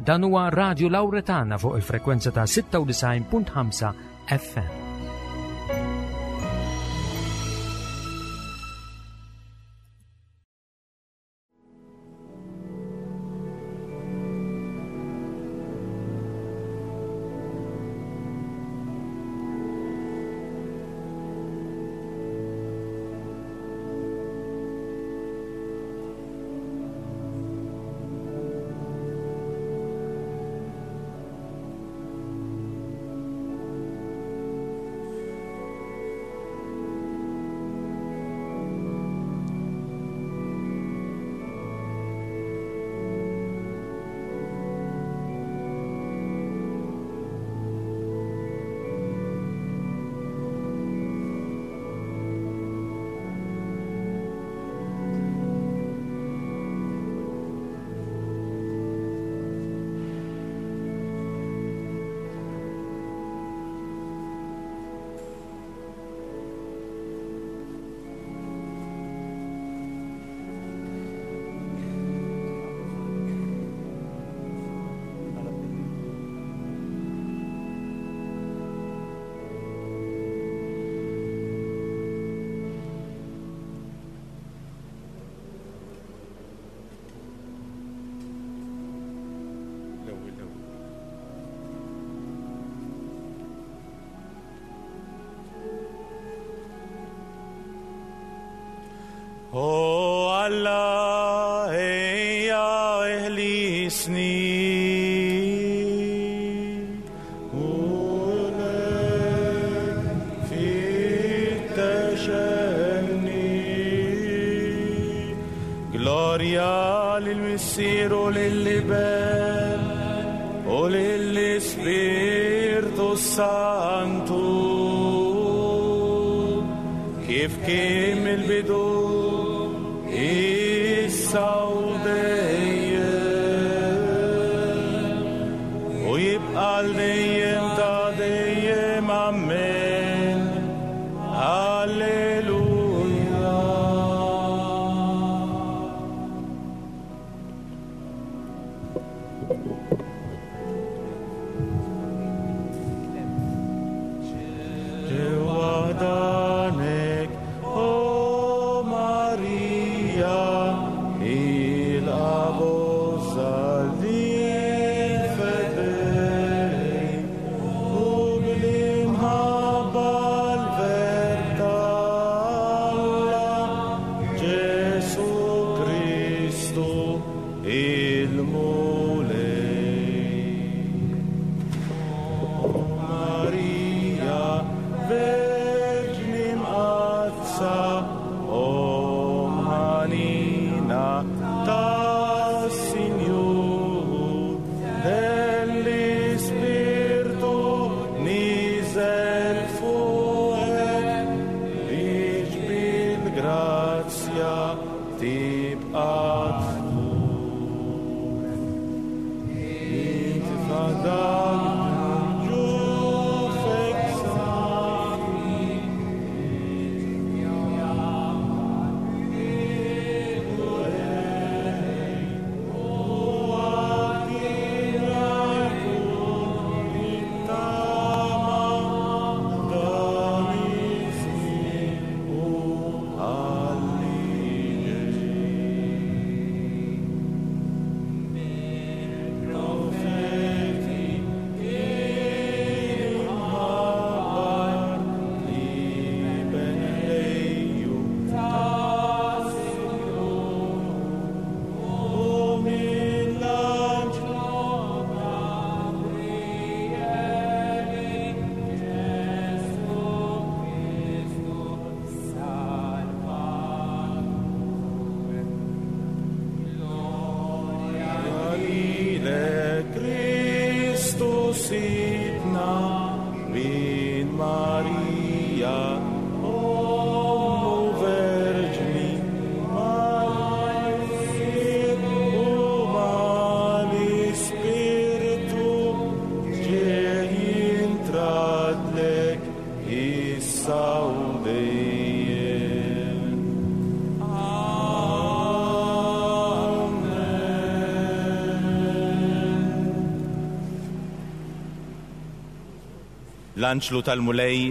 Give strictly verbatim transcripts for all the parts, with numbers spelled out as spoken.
Dan huwa Radio Lauretana fuq il-frekwenza ta' sitta u disgħin punt ħamsa F M. L-ewwel l-ewwel. O Alla, ejja eħlisni. Mulej, fittex għenni. Glorja lill-Missier u lill-Iben u lill-Ispirtu Santu, kif kien mill-bidu, issa u dejjem u jibqa' għal dejjem ta' dejjem. Amen. Alleluja. Ġewwa ħdanek, o Marija, il-Abożal fedej. L-anġlu tal-Mulej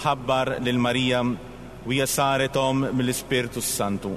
ħabbar lil Marija u hija saret omm mill-Ispirtu Santu.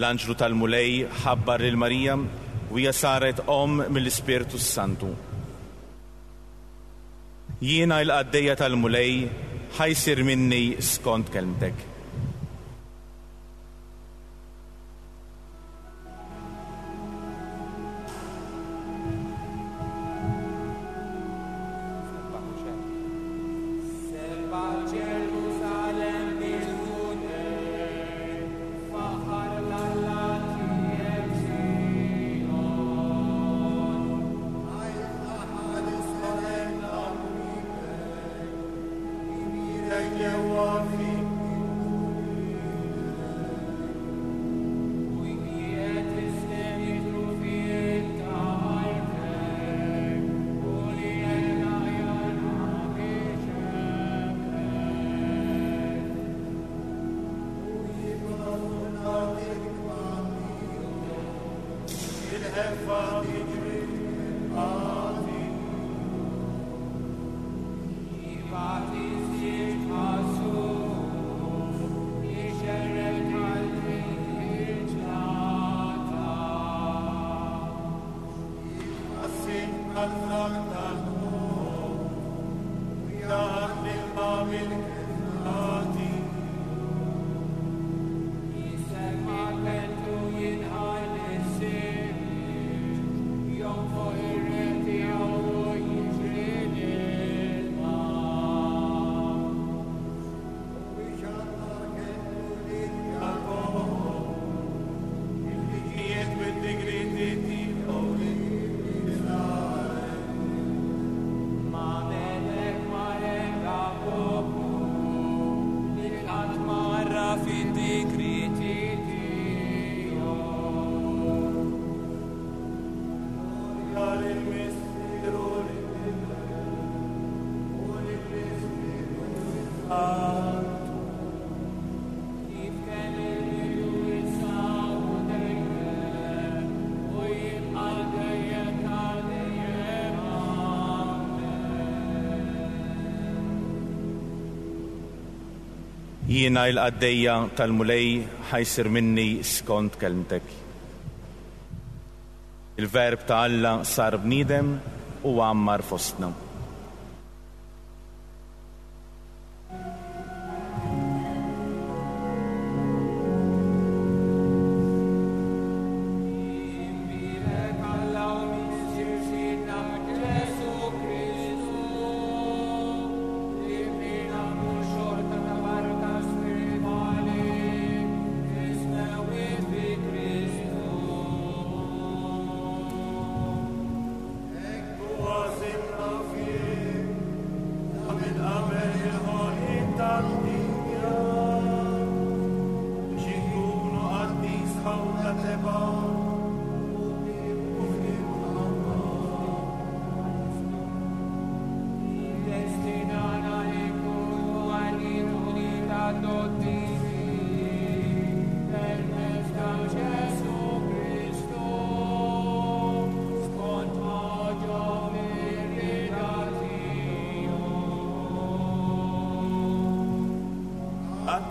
L-anġlu tal-Mulej ħabbar lil Marija u hija saret omm mill-Ispirtu Santu. Jiena l-qaddejja tal-Mulej ħa jsir minni skont kelmtek. Jiena l-qaddejja tal-Mulej ħa jsir minni skont kelmtek. Il-verb ta' Alla sar bniedem u għammar fostna.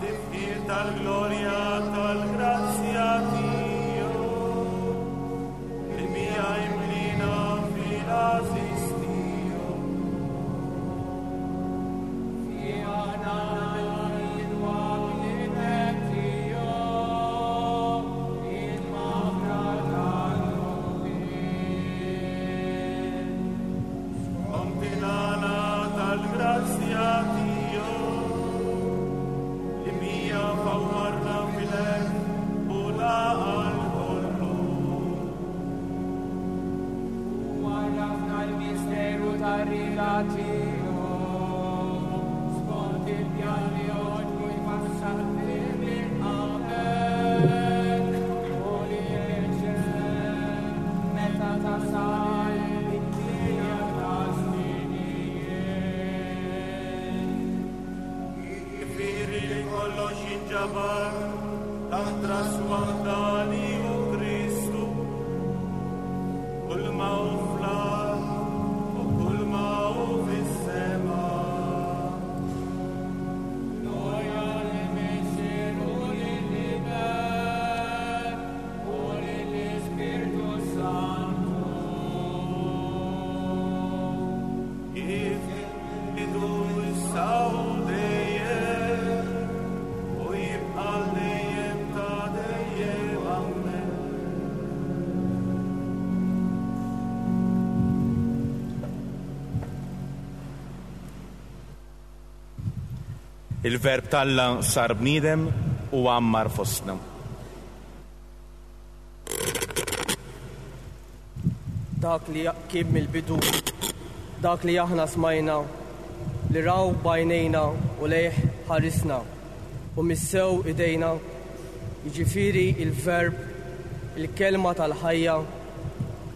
Għat-tifħir tal-glorja tal-grazzja tiegħu li bija imlina fil-għażiż tiegħu. Skont il-għana tal-grazzja tiegħu li bija fawwarna fil-għerf u l-għaqal kollu. Warrafna l-misteru tar-rieda tiegħu, skont il-pjan li għoġbu jfassal minn qabel, u li jirċev meta tasal it-tlieta ta' żminijiet. Jiġifieri li kollox jinġabar taħt ras waħda li hu Kristu. Kull ma hu fl-art u kull ma hu fis-sema. Glorja lill-Missier u lill-Iben u lill-Ispirtu Santu. Kif idu issa u dejjem u jibqa' għal dejjem ta' dejjem. Amen. Il-verb t'Alla sar bniedem u għammar fostna. Dak li kien mill-bidu, dak li aħna smajna, li raw b'għajnejna u lejh ħarisna, u missew idejna, jiġifieri il-verb, il-kelma tal-ħajja,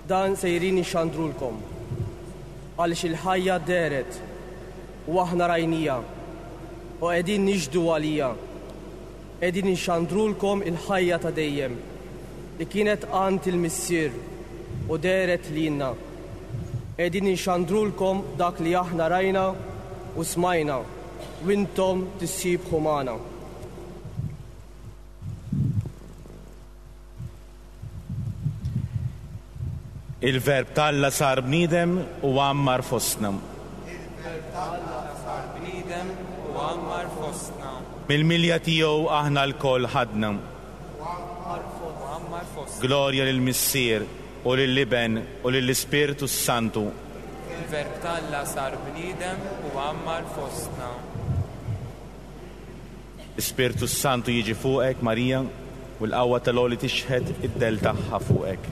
dan sejrin ixandrulkom. Għaliex il-ħajja dehret u aħna rajnija, u qegħdin nixhdu għaliha. Qegħdin inxandrulkom il-ħajja ta' dejjem, li kienet għand il-Missier u dehret lilna. Qegħdin inxandrulkom dak li aħna rajna u smajna, u intom tissieħbu magħna. Il-verb t'Alla sar bniedem u għammar fostna. Il-verb t'Alla sar bniedem u għammar fostna. Mill-milja tiegħu aħna lkoll ħadna. U għammar fostna. Glorja lill-Missier u lill-Iben u lill-Ispirtu Santu. Il-verb t'Alla sar bniedem u għammar fostna. L-Ispirtu Santu jiġi fuqek, Marija, u l-qawwa tal-għoli tixħet id-dell tagħha fuqek.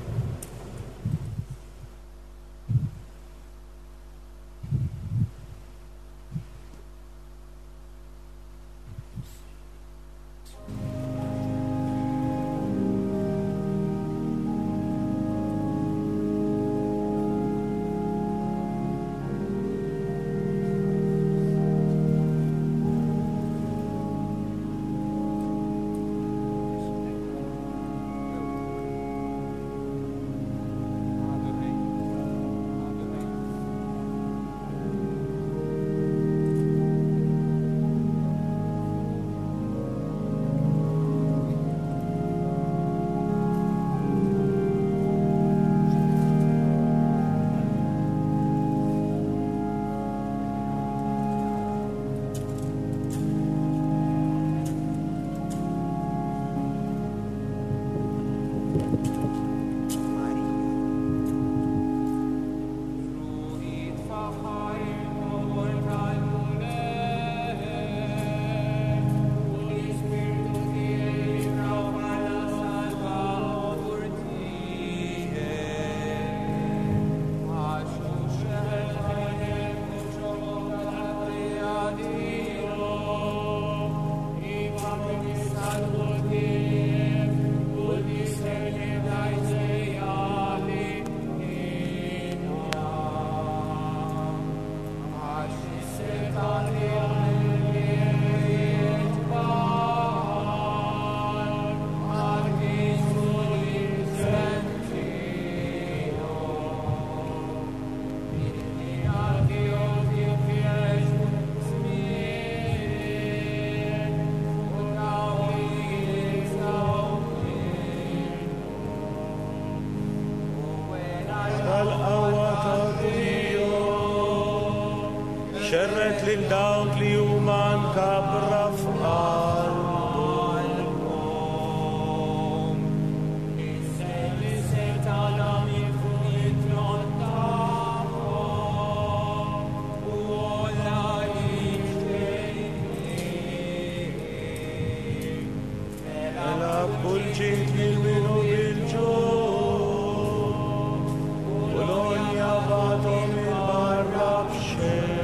Xerred lil dawk li huma mkabbra f'qalbhom. Mela kull ġid lil min hu bil-ġuħ, u l-għonja bagħathom il-barra b'xejn.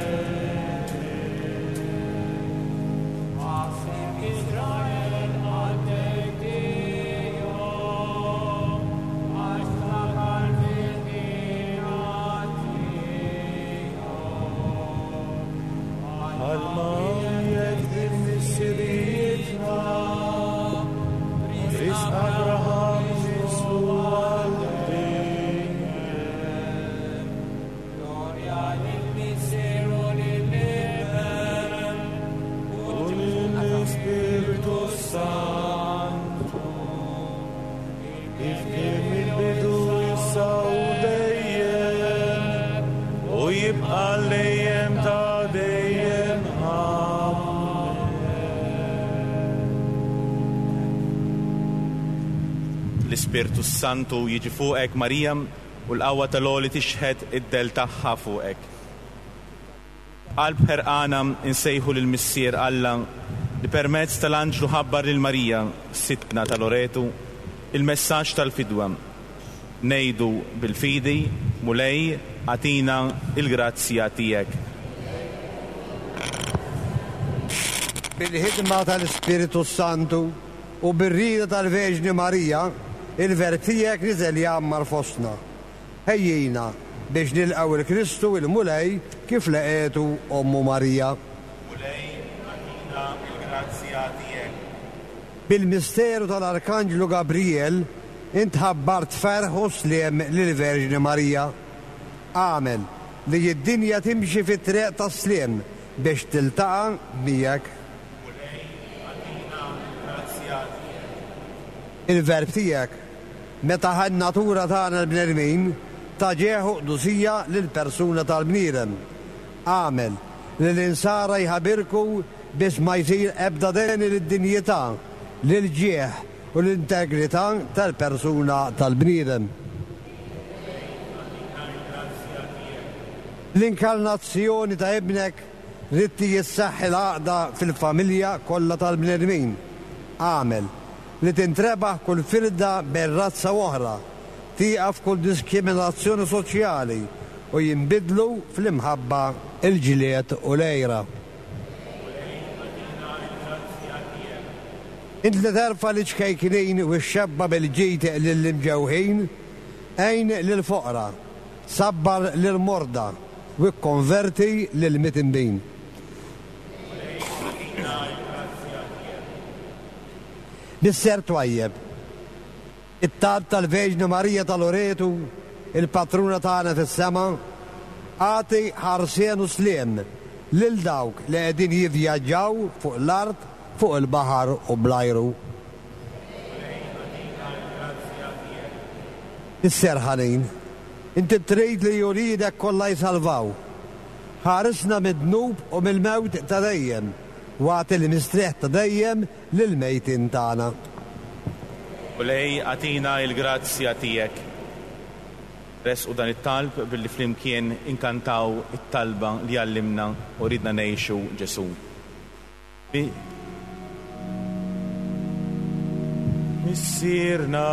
Bħalma jekk din missirietna, Risq Abraham nislu għal dejjem. Glorja lill-Missier u lill-Iben U lill-Ispirtu Santu, kif kien mill-bidu issa u dejjem, u jibqa' dejjem ta' dejjem. Amen. L-Ispirtu Santu jiġi fuqek, Marija, u l-qawwa tal-Għoli tixħet id-dell tagħha fuqek. Qalb ħerqana insejħu lil Missier Alla li permezz tal-anġlu ħabbar lil Marija, sidtna ta' Loretu, il-messaġġ tal-fidwa. Ngħidu bil-fidi, Mulej, agħtina il-grazzja tiegħek. Bil-ħidma tal-Ispiritu Santu u bir-rieda tal-Verġni Marija, il-Verb tiegħek niżel jgħammar fostna. Ħejjina biex nilqgħu il-Kristu il-Mulej kif laqgħetu Ommu Marija. Mulej, agħtina il-grazzja tiegħek. Bil-misteru tal-Arkanġlu Gabriel int ħabbart ferħ u sliem lill-Verġni Marija. Agħmel li d-dinja timxi fit-triq tas-sliem biex tiltaqa' miegħek. Mulej, agħtina il-grazzja tiegħek. Il-Verb tiegħek, meta ħa n-natura tagħna l-bnedmin, ta ġieħ u qdusija lill-persuna tal-bniedem. Agħmel li l-insara jħabirku biex ma jsir ebda deni lid-dinjità, lil-ġieħ u l-integrità tal-persuna tal-bniedem. L-inkarnazzjoni ta' ibnek ridt jissaħħi l-għaqda fil-familja kollha tal-bnedmin. Agħmel li tintrebaħ kull firda bejn razza u oħra, tieqaf kull diskriminazzjoni soċjali u jinbidlu fl-imħabba il-ġlied u l-għira. Int li terfa' l-ċkejknin u x-xebba bil-ġid lill-imġewħin, għin lill-foqra, sabbar lill-morda u kkonverti lill-mitinbin. Missier twajjeb, it-talb tal-Verġni Marija ta' Loretu, il-patruna tagħna fis-sema, agħti ħarsien u sliem lil dawk li qegħdin jivvjaġġaw fuq l-art, fuq il-baħar u bl-ajru. Missier ħanin, inti trid li uliedek kollha jsalvaw. Ħarisna mid-dnub u mill-mewt ta' dejjem, u agħti l-mistrieħ ta' dejjem lill-mejtin tagħna. Mulej, agħtina il-grazzja tiegħek. Resqu dan it-talb billi flimkien inkantaw it-talba li għallimna u ridna ngħixu Ġesù. Missierna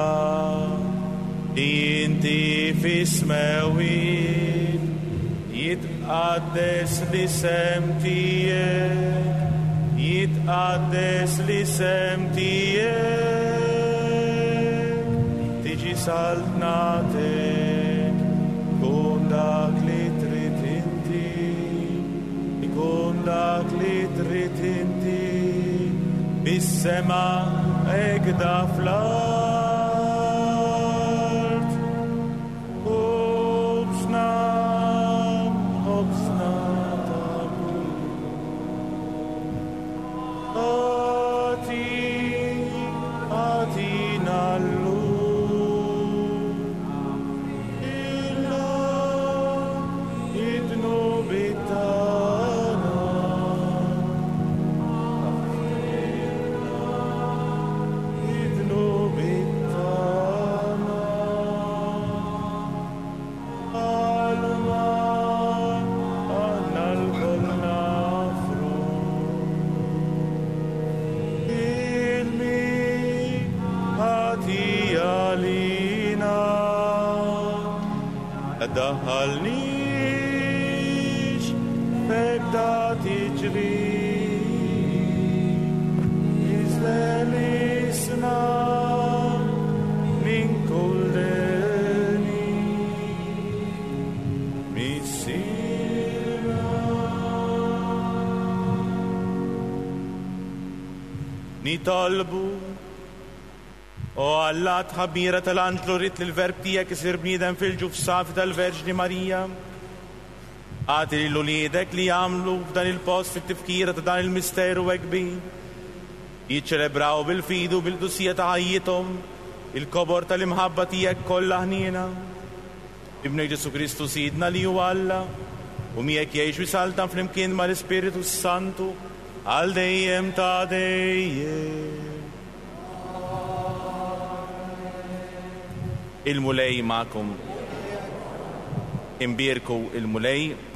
li inti fis-smewwiet, jitqaddes l-isem tiegħek, jitqaddes l-isem tiegħek, tiġi saltnatek, ikun dak li trid inti, ikun dak li trid inti, bis-sema egda fl-art. Ħobżna, ħobżna ta' kuljum, agħti, agħtina llum, illa id-dnubiet tagħna. Tdaħħalniex f'ebda tiġrib, iżlelisna minn kull deni. Missierna. Nitolbu. O Alla, tħabbira tal-anġlu rrit li l-verb tiegħek isir bniedem fil-ġuf safi tal-Verġni Marija. Agħti lil uliedek li jagħmlu f'dan il-post fit-tifkira ta' dan il-misteru hekk kbir. Jiċċelebraw bil-fidu bil-qdusija ta' ħajjithom il-kobor tal-imħabba tiegħek kollha ħniena. Ibnek Ġesu Kristu Sidna li huwa Alla, u miegħek jgħix u jsaltan flimkien mal-Ispiritu Santu għal dejjem ta' dejjem. Il-Mulej magħkom. Imbierku il-Mulej.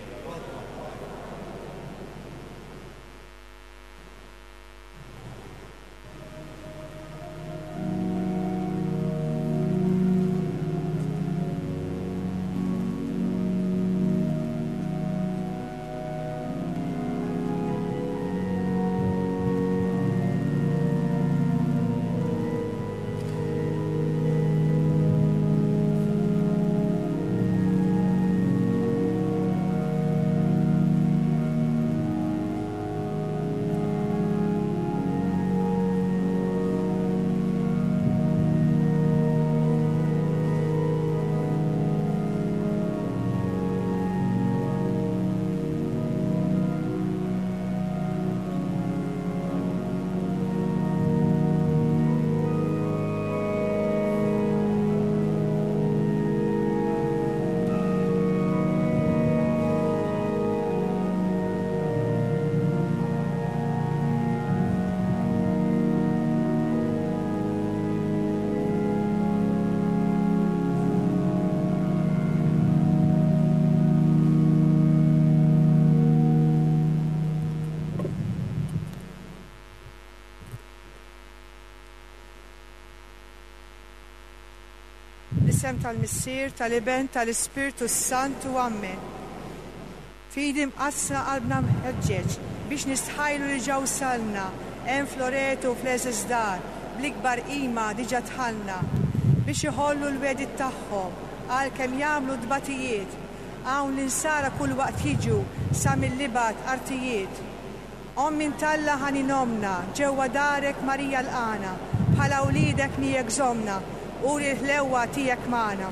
L-isem tal-Missier, tal-Iben, tal-Ispirtu Santu, Amen. Fidi mqassra qalbna mħeġġeġ biex nistħajlu li ġew salna, hemm f'Loreto u fl-għeżież dar, bl-ikbar qima diġà dħalna, biex iħollu l-wedid tagħhom għalkemm jagħmlu tbatijiet, hawn l-insara kull waqt jiġu sa mill-ibgħat artijiet. Omm minn Talla ħanin omna, ġewwa darek Marija l-Qana, bħala wliedek miegħek żomna, uri l-ħlewwa tiegħek magħna.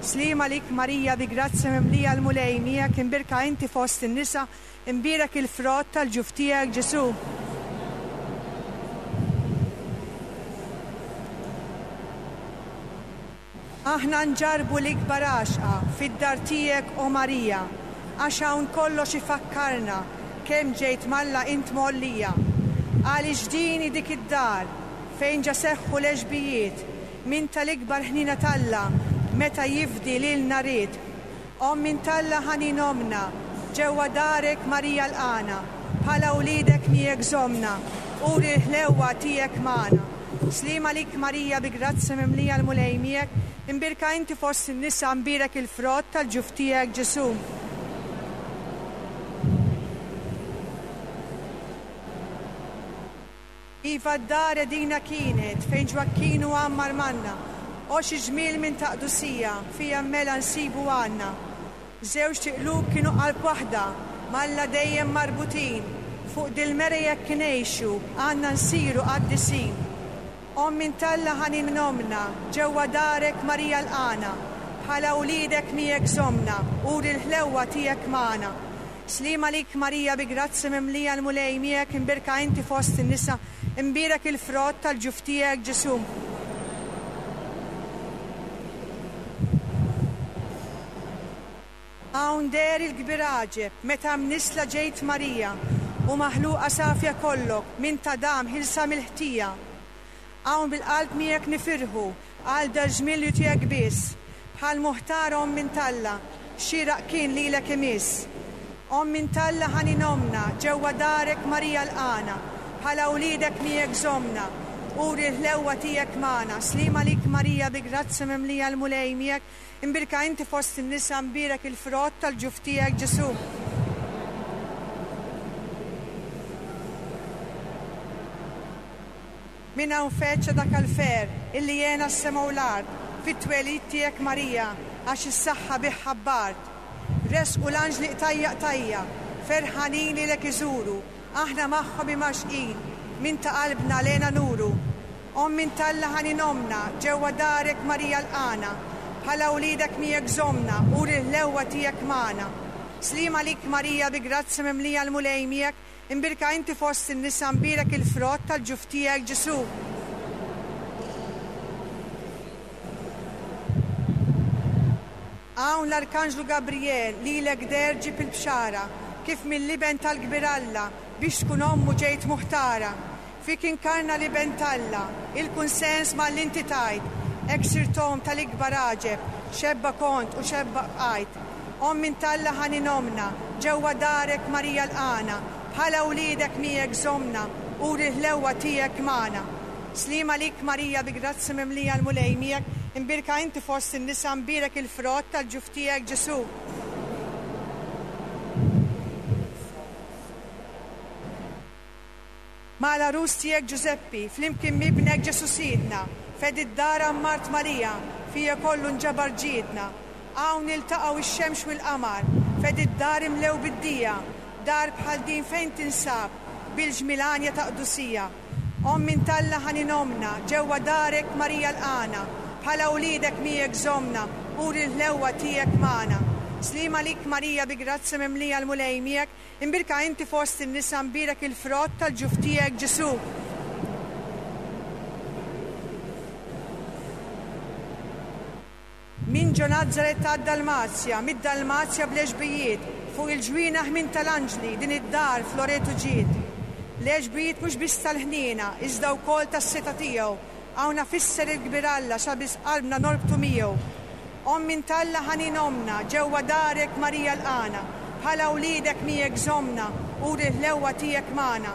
Sliem għalik Marija, bi grazzja mimlija l-Mulej miegħek, imbierka inti fost in-nisa, imbierek il-frott tal-ġuf tiegħek Ġesu. Aħna nġarbu l-ikbar għaxqa fid-dar tiegħek, o Marija, għax hawn kollox ifakkarna kemm ġejt malla int mollija. Għaliex din hi dik id-dar fejn ġa seħħu l-għeġbijiet minn tal-ikbar ħnina t'Alla meta jifdi lilna ried. Omm minn Talla ħanin omna, ġewwa darek Marija l-Qana, bħala wliedek miegħek żomna, uri l-ħlewwa tiegħek magħna. Sliem għalik Marija, bi grazzja mimlija l-Mulej miegħek, imbierka inti fost in-nisa, imbierek il-frott tal-ġuf tiegħek Ġesu. Iva d-dar edina kienet fejn Ġwakkinu għammar manna, o xi ġmiel minn taqdusija fija mela nsibu għandna. Żewġ tiqlub kienu qalb waħda, malla dejjem marbutin, fuq dil-mera jekk ngħixu għandna nsiru qaddisin. Omm minn Talla ħanin omna, ġewwa darek Marija l-Qana, bħala wliedek miegħek żomna, uri l-ħlewwa tiegħek magħna. Sliem għalik Marija, bi grazzja mimlija l-Mulej miegħek, imbierka inti fost in-nisa, imbierek il-frott tal-ġuf tiegħek Ġesu. Hawn deher il-kbir għaġeb meta mnisla ġejt Marija, u maħluqa safja kollok minn ta' dam ħilsa mill-ħtija. Hawn bil-qalb miegħek nifirħu għal dal-ġmiel li tiegħek biss, bħal muħtar omm minn Talla, xieraq kien lilek imiss. Omm minn Talla ħanin omna, ġewwa darek Marija l-Qana, bħala wliedek miegħek żomna, uri l-ħlewwa tiegħek magħna. Sliem għalik Marija, bi grazzja mimlija l-Mulej miegħek, imbierka inti fost in-nisa, mbierek il-frott tal-ġuf tiegħek Ġesù. Min hawn feċċa dak għall-fer illi jena s-sema u l-art, fit-twelid tiegħek Marija, għax is-saħħa bih ħabbart. Resqu l-anġli qtajja qtajja, ferħanin lilek iżuru, aħna magħhom imgħaxqin, min ta' qalbna lena nuru. Omm minn t'Alla ħanin ommna, ġewwa darek Marija lqana, bħala wliedek miegħek żommna, uri l-ħlewwa tiegħek magħna. Sliem għalik Marija, bi grazzja mimlija l-Mulej miegħek, imbierka inti fost in-nisa, mbierek il-frott tal-ġuf tiegħek Ġesù. Hawn l-Arkanġlu Gabriel lilek deher ġib il-bxara, kif mill-iben tal-kbir Alla biex tkun ommu ġejt muħtara. Fik inkarna l-iben t'Alla, il-kunsens mal-inti tajt, hekk sirt omm tal-ikbar għaġeb, xebba kont u xebba bqajt. Omm minn t'Alla ħanin ommna, ġewwa darek Marija lqana, bħala wliedek miegħek żommna, uri l-ħlewwa tiegħek magħna. Sliem għalik Marija, bi grazzja mimlija l-Mulej miegħek, imbierka inti fost in-nisa, mbierek il-frott tal-ġuf tiegħek Ġesù. Ma' l-għarus tiegħek Ġużeppi, flimkien m'ibnek Ġesù Sidna, fed id-dar għammart Marija, fija kollu nġabar ġidna. Hawn iltaqgħu ix-xemx u l-qamar, fed id-dar imlew bid-dija, dar bħal din fejn tinsab, bil-ġmilanja ta' qdusija. Omm minn t'Alla ħanin ommna, ġewwa darek Marija lqana, bħala wliedek miegħek żommna, uri l-ħlewwa tiegħek magħna. Sliem għalik Marija, bi grazzja mimlija l-Mulej miegħek, imbierka inti fost in-nisa, mbierek il-frott tal-ġuf tiegħek Ġesù. Min ġo Nazaret għad-Dalmazja, mid-Dalmazja bl-għeġbijiet, fuq il-ġwienaħ minn tal-anġli, din id-dar f'Loreto ġiet. L-għeġbijiet mhux biss tal-ħniena, iżda wkoll tas-seta tiegħu, hawn fisser il-kbir Alla sabiex qalbna norbtu miegħu. Omm minn t'Alla ħanin ommna, ġewwa darek Marija lqana, bħala wliedek miegħek żommna, uri l-ħlewwa tiegħek magħna.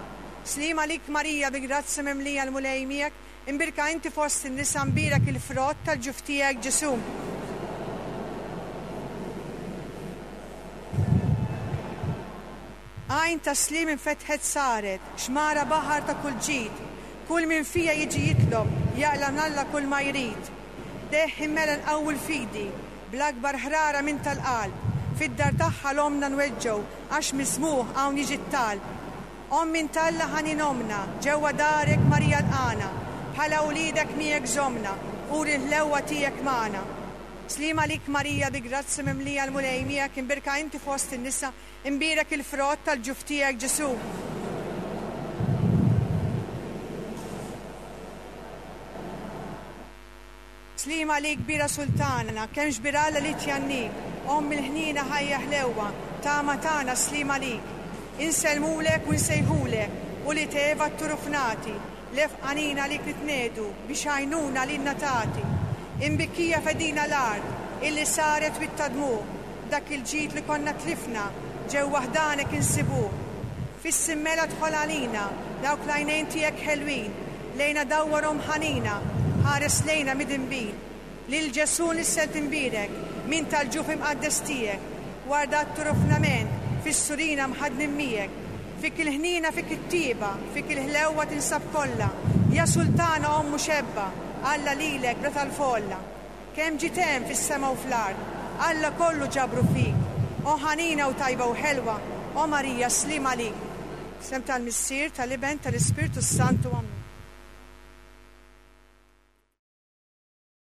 Sliem għalik Marija, bi grazzja mimlija l-Mulej miegħek, imbierka inti fost in-nisa, mbierek il-frott tal-ġuf tiegħek Ġesù. Għajn ta' sliem infetħet saret, xmara baħar ta' kull ġid, kull min fija jiġi jitlob, jaqla' minn Alla kull ma jrid. Deħ immela nqawwu l-fidi, bl-akbar ħrara minn tal-qalb, fid-dar tagħha l-omna nweġġew, għax mismuħ hawn jiġi t-talb. Omm minn t'Alla ħanin ommna, ġewwa darek Marija lqana, bħala wliedek miegħek żommna, uri l-ħlewwa tiegħek magħna. Sliem għalik Marija, bi grazzja mimlija l-Mulej miegħek, imbierka inti fost in-nisa, imbierek il-frott tal-ġuf tiegħek Ġesù. Sliem għalik kbira sultana, kemm xbir Alla li tjannik, omm il-ħniena ħajja ħlewwa, tama tagħna sliem għalik. Insellmulek u nsejħulek, u li teva t-turufnati, lef għanina għalik nitnedu, biex għajnuna lilna tagħti. Imbikkija fedina l-art, illi saret bit-tadmu, dak il-ġid li konna tlifna, ġewwa ħdanek insibuh. Fis-simmela dħol għalina, dawk l-għajnejn tiegħek ħelwin, lejna dawwarhom ħanina, ħares lejna midinbin. Lil Ġesù nissel timbierek, min tal-ġuf imqaddes tiegħek, warda t-turufnament, fis-surina mħadnin miegħek. Fik il-ħnina, fik it-tieba, fik il-ħlewwa tinsab kollha, ja sultana ommu xebba, Alla lilek bla tal-folla. Kemm ġiet hemm fis-sema u fl-art, Alla kollu ġabru fik. O ħanina u tajba u ħelwa, o Marija sliem għalik. Sem tal-Missier, tal-Iben, tal-Ispirtu Santu. Amen.